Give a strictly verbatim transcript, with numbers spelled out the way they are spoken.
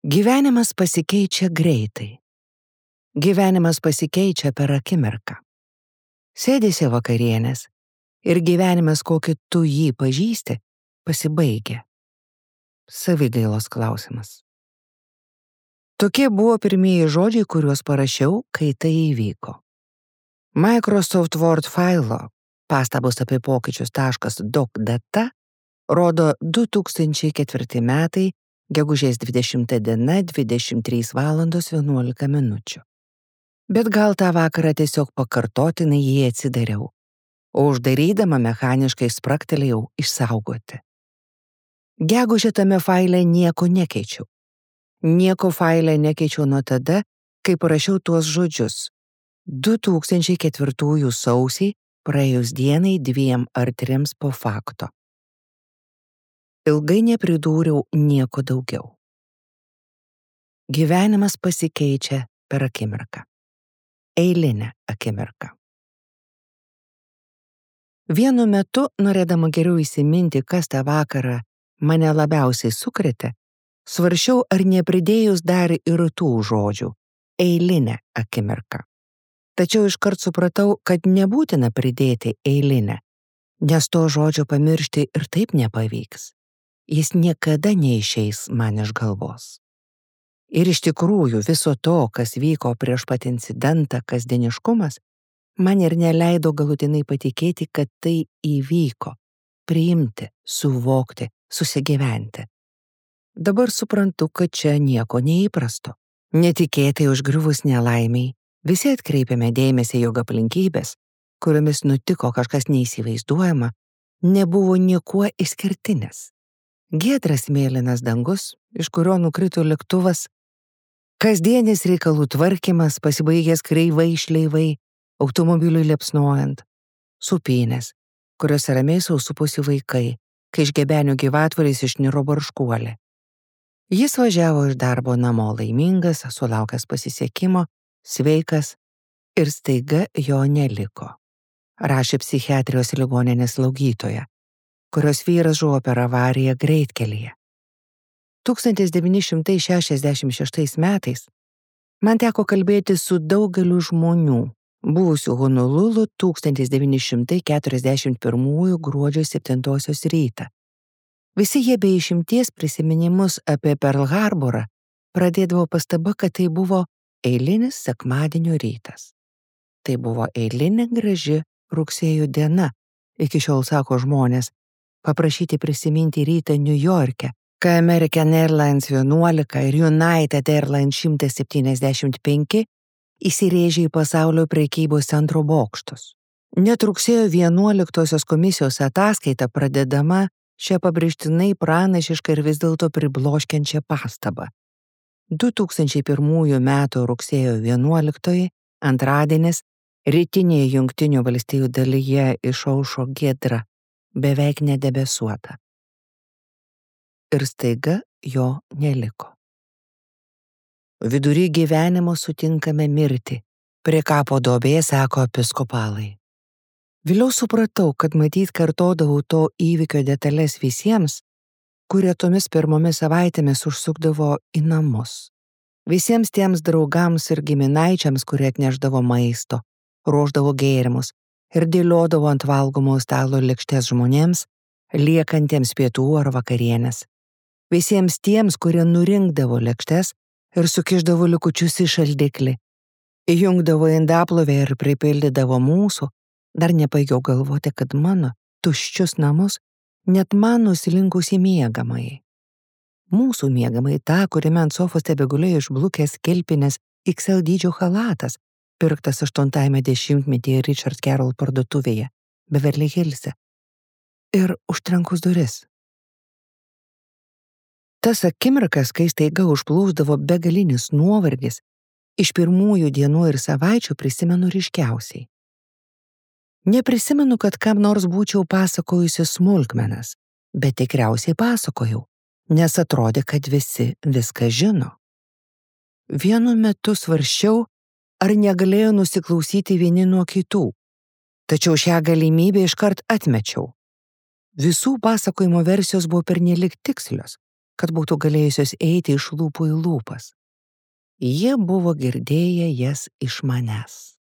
Gyvenimas pasikeičia greitai. Gyvenimas pasikeičia per akimirką. Sėdėsi vakarienės ir gyvenimas, kokį tu jį pažįsti, pasibaigia. Savigailos klausimas. Tokie buvo pirmieji žodžiai, kuriuos parašiau, kai tai įvyko. Microsoft Word failo pastabos apie pokyčius .doc data rodo du tūkstančiai ketvirti metai, gegužės dvidešimta diena, dvidešimt trys valandos vienuolika minučių. Bet gal tą vakarą tiesiog pakartotinai jį atsidariau, o uždarydama mechaniškai spragtelėjau išsaugoti. Gegužę tame faile nieko nekeičiau. Nieko faile nekeičiau nuo tada, kai parašiau tuos žodžius. du tūkstančiai ketvirtųjų sausį, praėjus dienai dviem ar trims po fakto. Ilgai nepridūriau nieko daugiau. Gyvenimas pasikeičia per akimirką. Eilinę akimirką. Vienu metu, norėdama geriau įsiminti, kas tą vakarą mane labiausiai sukrėtė, svarsčiau, ar nepridėjus dar ir tų žodžių – eilinę akimirką. Tačiau iškart supratau, kad nebūtina pridėti eilinę, nes to žodžio pamiršti ir taip nepavyks. Jis niekada neišeis man iš galvos. Ir iš tikrųjų viso to, kas vyko prieš pat incidentą, kasdieniškumas, man ir neleido galutinai patikėti, kad tai įvyko, priimti, suvokti, susigyventi. Dabar suprantu, kad čia nieko neįprasto. Netikėtai užgriuvus nelaimiai, visi atkreipėme dėmesį, jog aplinkybės, kuriomis nutiko kažkas neįsivaizduojama, nebuvo niekuo išskirtinės. Giedras mėlynas dangus, iš kurio nukrito lėktuvas, kasdienis reikalų tvarkymas, pasibaigęs kreivai šleivai, automobiliui liepsnojant, supynės, kuriuose ramiai sausuposi vaikai, kai iš Gebenių gyvatvoriais išniro barškuolė. Jis važiavo iš darbo namo laimingas, sulaukęs pasisekimo, sveikas ir staiga jo neliko. Rašė psichiatrijos ligoninės slaugytoja, kurios vyras žuvo per avariją greitkelyje. tūkstantis devyni šimtai šešiasdešimt šeštais metais man teko kalbėti su daugeliu žmonių, buvusių Honolulu tūkstantis devyni šimtai keturiasdešimt pirmųjų gruodžio septintosios rytą. Visi jie be išimties prisiminimus apie Perl Harborą pradėdavo pastaba, kad tai buvo eilinis sekmadienio rytas. Tai buvo eilinė graži rugsėjo diena, iki šiol sako žmonės, paprašyti prisiminti rytą Niujorke, kai American Airlines vienuolika ir United Airlines šimtas septyniasdešimt penki įsirėžė į pasaulio prekybos centro bokštus. Net rugsėjo vienuoliktosios komisijos ataskaita pradedama šią pabrėžtinai pranašišką ir vis dėlto pribloškiančią pastabą. du tūkstančiai pirmųjų metų rugsėjo vienuoliktoji, antradienis, rytinėje Jungtinių valstijų dalyje išaušo giedra, beveik nedebesuota. Ir staiga jo neliko. Vidury gyvenimo sutinkame mirtį, prie kapo duobės, sako episkopalai. Vėliau supratau, kad matyt kartodavau to įvykio detalės visiems, kurie tomis pirmomis savaitėmis užsukdavo į namus. Visiems tiems draugams ir giminaičiams, kurie atnešdavo maisto, ruošdavo gėrimus ir dėliodavo ant valgomo stalo lėkštes žmonėms, liekantiems pietų ar vakarienės. Visiems tiems, kurie nurinkdavo lėkštes ir sukišdavo likučius į šaldiklį, įjungdavo indaplovę ir pripildydavo mūsų, dar nepaigiau galvoti, kad mano tuščius namus net man nusilinkus į miegamąjį. Mūsų miegamąjį tą, kuriame ant sofos tebegulėjo išblukęs kelpinės X L dydžio chalatas, pirktas aštuntajame dešimtmetyje Richard Carroll parduotuvėje, Beverly Hillse. Ir užtrenkus duris. Tas akimirkas, kai staiga užplūsdavo begalinis nuovargis, iš pirmųjų dienų ir savaičių prisimenu ryškiausiai. Neprisimenu, kad kam nors būčiau pasakojusi smulkmenas, bet tikriausiai pasakojau, nes atrodė, kad visi viską žino. Vienu metu svarsčiau, ar negalėjo nusiklausyti vieni nuo kitų, tačiau šią galimybę iškart atmečiau. Visų pasakojimo versijos buvo pernelyg tikslios, kad būtų galėjusios eiti iš lūpų į lūpas. Jie buvo girdėję jas iš manęs.